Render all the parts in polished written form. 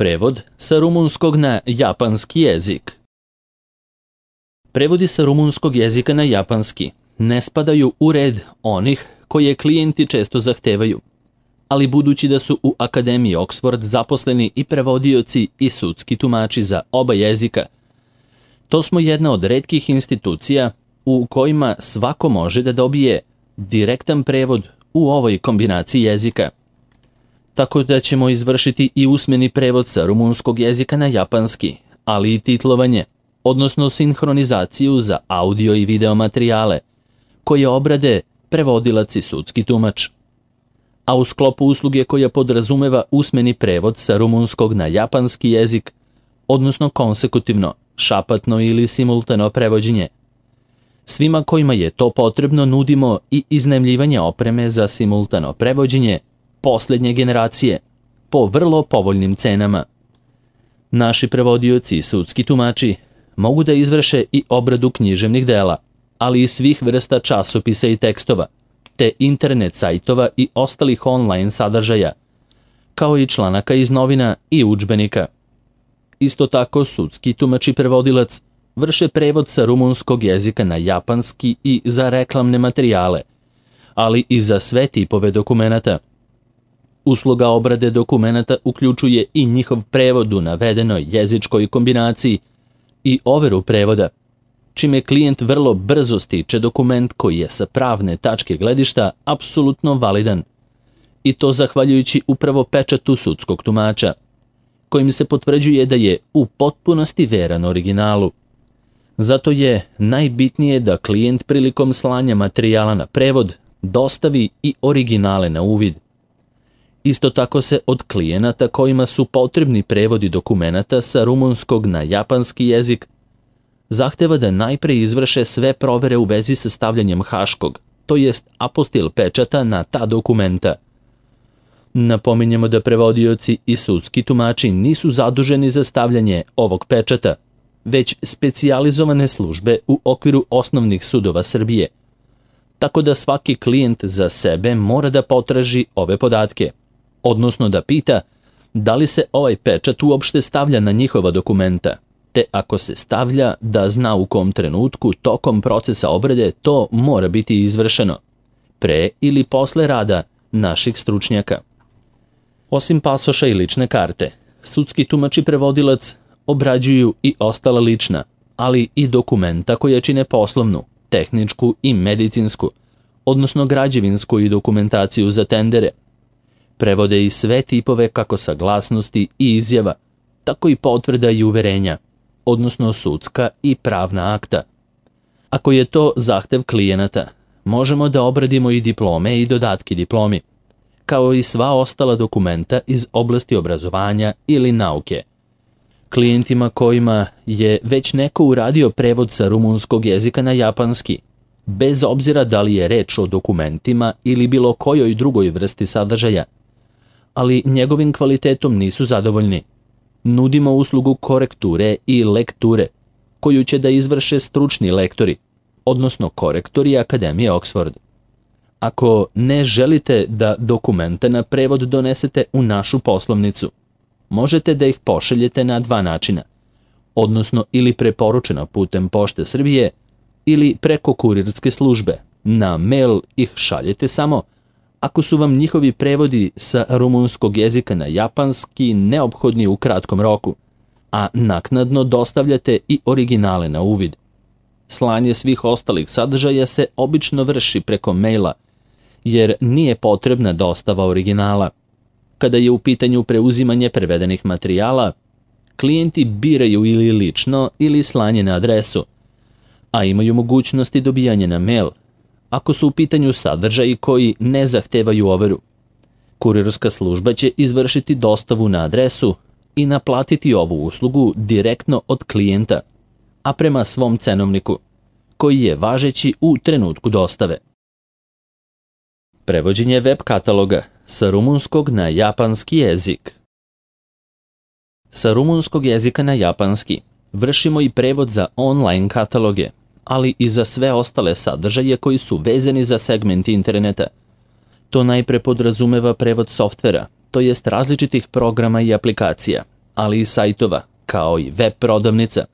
Prevod sa rumunskog na japanski jezik. Prevodi sa rumunskog jezika na japanski ne spadaju u red onih koje klijenti često zahtevaju, ali budući da su u Akademiji Oxford zaposleni i prevodioci i sudski tumači za oba jezika, to smo jedna od retkih institucija u kojima svako može da dobije direktan prevod u ovoj kombinaciji jezika. Tako da ćemo izvršiti i usmeni prevod sa rumunskog jezika na japanski, ali i titlovanje, odnosno sinhronizaciju za audio i video materijale, koje obrade prevodilac i sudski tumač. A u sklopu usluge koja podrazumeva usmeni prevod sa rumunskog na japanski jezik, odnosno konsekutivno, šapatno ili simultano prevođenje. Svima kojima je to potrebno nudimo i iznajmljivanje opreme za simultano prevođenje posljednje generacije po vrlo povoljnim cenama. Naši prevodioci i sudski tumači mogu da izvrše i obradu književnih dela, ali i svih vrsta časopisa i tekstova, te internet sajtova i ostalih online sadržaja, kao i članaka iz novina i udžbenika. Isto tako, sudski tumač i prevodilac vrše prevod sa rumunskog jezika na japanski i za reklamne materijale, ali i za sve tipove dokumenata. Usluga obrade dokumenata uključuje i njihov prevod u navedenoj jezičkoj kombinaciji i overu prevoda, čime klijent vrlo brzo stiče dokument koji je sa pravne tačke gledišta apsolutno validan. I to zahvaljujući upravo pečatu sudskog tumača, kojim se potvrđuje da je u potpunosti veran originalu. Zato je najbitnije da klijent prilikom slanja materijala na prevod dostavi i originale na uvid. Isto tako se od klijenata kojima su potrebni prevodi dokumenata sa rumunskog na japanski jezik zahteva da najpre izvrše sve provere u vezi sa stavljanjem haškog, to jest apostil pečata na ta dokumenta. Napominjemo da prevodioci i sudski tumači nisu zaduženi za stavljanje ovog pečata, već specijalizovane službe u okviru osnovnih sudova Srbije. Tako da svaki klijent za sebe mora da potraži ove podatke, odnosno da pita da li se ovaj pečat uopšte stavlja na njihova dokumenta, te ako se stavlja da zna u kom trenutku tokom procesa obrade to mora biti izvršeno, pre ili posle rada naših stručnjaka. Osim pasoša i lične karte, sudski tumač i prevodilac obrađuju i ostala lična, ali i dokumenta koje čine poslovnu, tehničku i medicinsku, odnosno građevinsku i dokumentaciju za tendere. Prevode i sve tipove kako saglasnosti i izjava, tako i potvrda i uverenja, odnosno sudska i pravna akta. Ako je to zahtev klijenata, možemo da obradimo i diplome i dodatke diplomi, kao i sva ostala dokumenta iz oblasti obrazovanja ili nauke. Klijentima kojima je već neko uradio prevod sa rumunskog jezika na japanski, bez obzira da li je reč o dokumentima ili bilo kojoj drugoj vrsti sadržaja, ali njegovim kvalitetom nisu zadovoljni, nudimo uslugu korekture i lekture, koju će da izvrše stručni lektori, odnosno korektori Akademije Oxford. Ako ne želite da dokumenta na prevod donesete u našu poslovnicu, možete da ih pošaljete na dva načina, odnosno ili preporučeno putem Pošte Srbije ili preko kurirske službe. Na mail ih šaljete samo ako su vam njihovi prevodi sa rumunskog jezika na japanski neophodni u kratkom roku, a naknadno dostavljate i originale na uvid. Slanje svih ostalih sadržaja se obično vrši preko maila, jer nije potrebna dostava originala. Kada je u pitanju preuzimanje prevedenih materijala, klijenti biraju ili lično ili slanje na adresu, a imaju mogućnosti dobijanja na mail, ako su u pitanju sadržaji koji ne zahtevaju overu. Kurirska služba će izvršiti dostavu na adresu i naplatiti ovu uslugu direktno od klijenta, a prema svom cenovniku, koji je važeći u trenutku dostave. Prevođenje web kataloga sa rumunskog na japanski jezik. Sa rumunskog jezika na japanski vršimo i prevod za online kataloge, ali i za sve ostale sadržaje koji su vezani za segment interneta. To najpre podrazumeva prevod softvera, to jest različitih programa i aplikacija, ali i sajtova, kao i web prodavnica.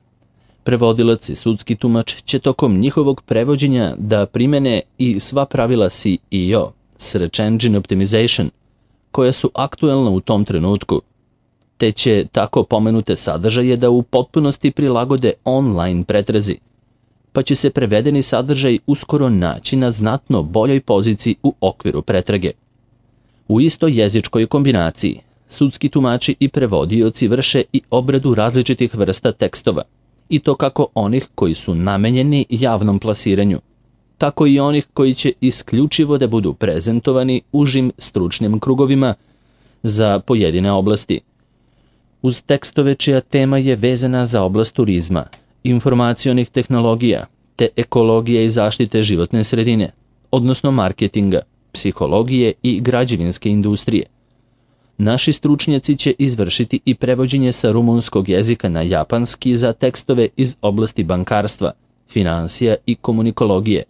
Prevodilac i sudski tumač će tokom njihovog prevođenja da primene i sva pravila SEO, Search Engine Optimization, koja su aktuelna u tom trenutku, te će tako pomenute sadržaje da u potpunosti prilagode online pretrazi, pa će se prevedeni sadržaj uskoro naći na znatno boljoj poziciji u okviru pretrage. U istoj jezičkoj kombinaciji, sudski tumači i prevodioci vrše i obradu različitih vrsta tekstova, i to kako onih koji su namenjeni javnom plasiranju, tako i onih koji će isključivo da budu prezentovani užim stručnim krugovima za pojedine oblasti. Uz tekstove čija tema je vezana za oblast turizma, informacionih tehnologija, te ekologije i zaštite životne sredine, odnosno marketinga, psihologije i građevinske industrije. Naši stručnjaci će izvršiti i prevođenje sa rumunskog jezika na japanski za tekstove iz oblasti bankarstva, finansija i komunikologije,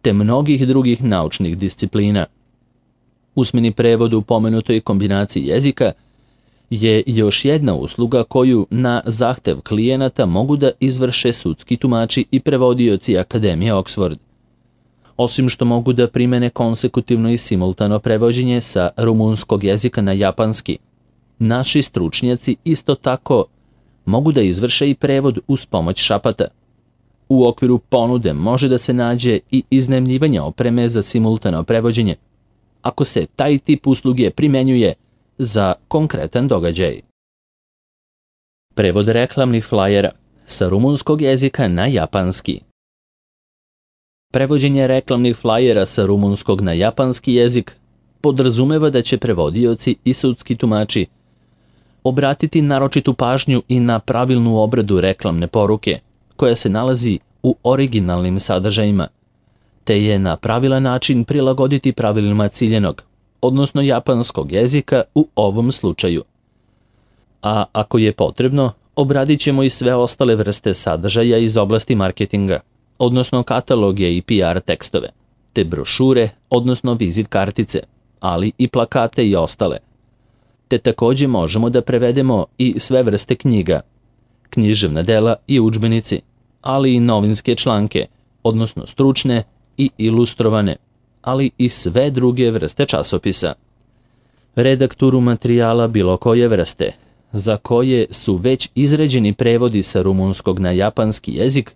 te mnogih drugih naučnih disciplina. Usmeni prevod u pomenutoj kombinaciji jezika je još jedna usluga koju na zahtev klijenata mogu da izvrše sudski tumači i prevodioci Akademije Oxford. Osim što mogu da primene konsekutivno i simultano prevođenje sa rumunskog jezika na japanski, naši stručnjaci isto tako mogu da izvrše i prevod uz pomoć šapata. U okviru ponude može da se nađe i iznajmljivanje opreme za simultano prevođenje, ako se taj tip usluge primenjuje za konkretan događaj. Prevod reklamnih flajera sa rumunskog jezika na japanski. Prevođenje reklamnih flajera sa rumunskog na japanski jezik podrazumeva da će prevodioci i sudski tumači obratiti naročitu pažnju i na pravilnu obradu reklamne poruke, koja se nalazi u originalnim sadržajima, te je na pravilan način prilagoditi pravilima ciljenog, odnosno japanskog jezika u ovom slučaju. A ako je potrebno, obradit ćemo i sve ostale vrste sadržaja iz oblasti marketinga, odnosno kataloge i PR tekstove, te brošure, odnosno vizit kartice, ali i plakate i ostale. Te takođe možemo da prevedemo i sve vrste knjiga, književna dela i udžbenici, ali i novinske članke, odnosno stručne i ilustrovane, ali i sve druge vrste časopisa. Redakturu materijala bilo koje vrste, za koje su već izrađeni prevodi sa rumunskog na japanski jezik,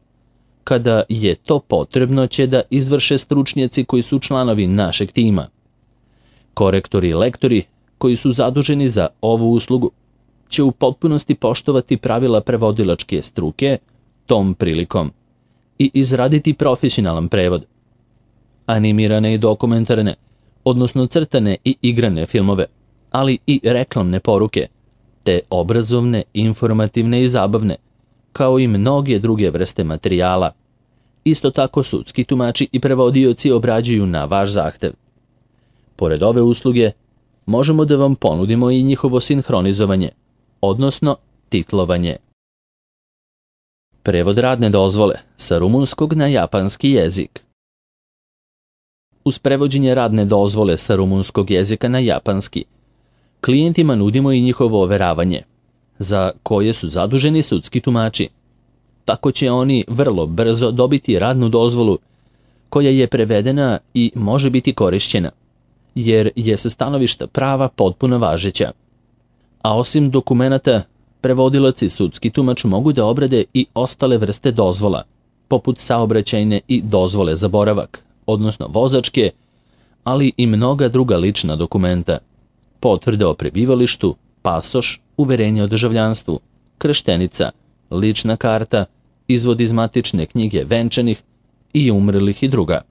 kada je to potrebno će da izvrše stručnjaci koji su članovi našeg tima. Korektori i lektori koji su zaduženi za ovu uslugu će u potpunosti poštovati pravila prevodilačke struke tom prilikom i izraditi profesionalan prevod. Animirane i dokumentarne, odnosno crtane i igrane filmove, ali i reklamne poruke, te obrazovne, informativne i zabavne, kao i mnoge druge vrste materijala. Isto tako sudski tumači i prevodioci obrađuju na vaš zahtev. Pored ove usluge, možemo da vam ponudimo i njihovo sinhronizovanje, odnosno titlovanje. Prevod radne dozvole sa rumunskog na japanski jezik. Uz prevođenje radne dozvole sa rumunskog jezika na japanski, klijentima nudimo i njihovo overavanje, za koje su zaduženi sudski tumači. Tako će oni vrlo brzo dobiti radnu dozvolu koja je prevedena i može biti korišćena, jer je sa stanovišta prava potpuno važeća. A osim dokumenata, prevodilac i sudski tumač mogu da obrade i ostale vrste dozvola, poput saobraćajne i dozvole za boravak, odnosno vozačke, ali i mnoga druga lična dokumenta, potvrde o prebivalištu, pasoš, uverenje o državljanstvu, krštenica, lična karta, izvod iz matične knjige venčanih i umrlih i druga.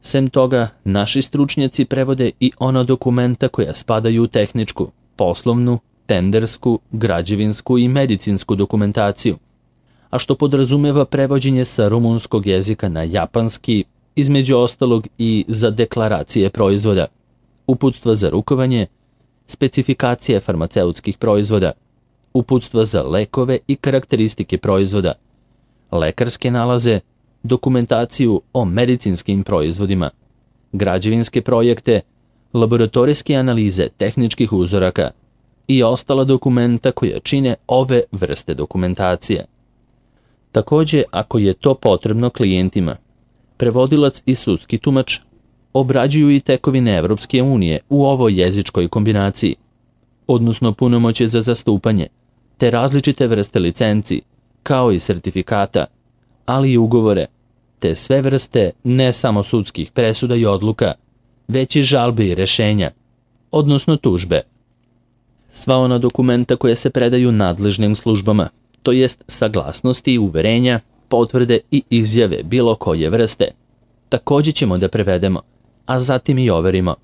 Sem toga, naši stručnjaci prevode i ona dokumenta koja spadaju u tehničku, poslovnu, tendersku, građevinsku i medicinsku dokumentaciju, a što podrazumeva prevođenje sa rumunskog jezika na japanski, između ostalog i za deklaracije proizvoda, uputstva za rukovanje, specifikacije farmaceutskih proizvoda, uputstva za lekove i karakteristike proizvoda, lekarske nalaze, dokumentaciju o medicinskim proizvodima, građevinske projekte, laboratorijske analize tehničkih uzoraka, i ostala dokumenta koja čine ove vrste dokumentacije. Takođe, ako je to potrebno klijentima, prevodilac i sudski tumač obrađuju i tekovine Evropske unije u ovoj jezičkoj kombinaciji, odnosno punomoćje za zastupanje, te različite vrste licenci, kao i sertifikata, ali i ugovore, te sve vrste ne samo sudskih presuda i odluka, već i žalbe i rešenja, odnosno tužbe. Sva ona dokumenta koja se predaju nadležnim službama, to jest saglasnosti, uverenja, potvrde i izjave bilo koje vrste, takođe ćemo da prevedemo, a zatim i overimo.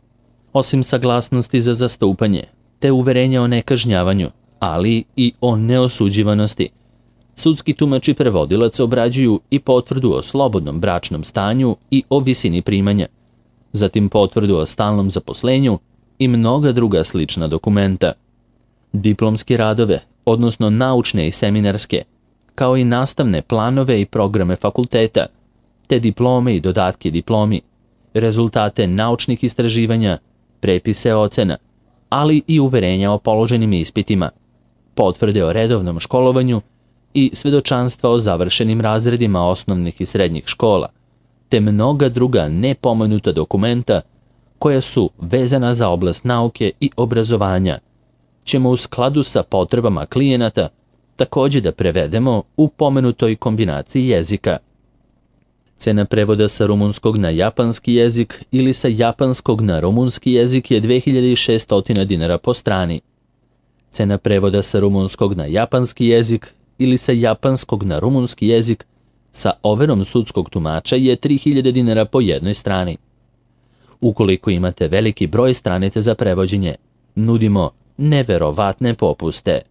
Osim saglasnosti za zastupanje, te uverenja o nekažnjavanju, ali i o neosuđivanosti, sudski tumač i prevodilac obrađuju i potvrdu o slobodnom bračnom stanju i o visini primanja, zatim potvrdu o stalnom zaposlenju i mnoga druga slična dokumenta. Diplomske radove, odnosno naučne i seminarske, kao i nastavne planove i programe fakulteta, te diplome i dodatke diplomi, rezultate naučnih istraživanja, prepise ocena, ali i uverenja o položenim ispitima, potvrde o redovnom školovanju i svedočanstva o završenim razredima osnovnih i srednjih škola, te mnoga druga nepomenuta dokumenta koja su vezana za oblast nauke i obrazovanja, ćemo u skladu sa potrebama klijenata takođe da prevedemo u pomenutoj kombinaciji jezika. Cena prevoda sa rumunskog na japanski jezik ili sa japanskog na rumunski jezik je 2600 dinara po strani. Cena prevoda sa rumunskog na japanski jezik ili sa japanskog na rumunski jezik sa overom sudskog tumača je 3000 dinara po jednoj strani. Ukoliko imate veliki broj stranica za prevođenje, nudimo neverovatne popuste.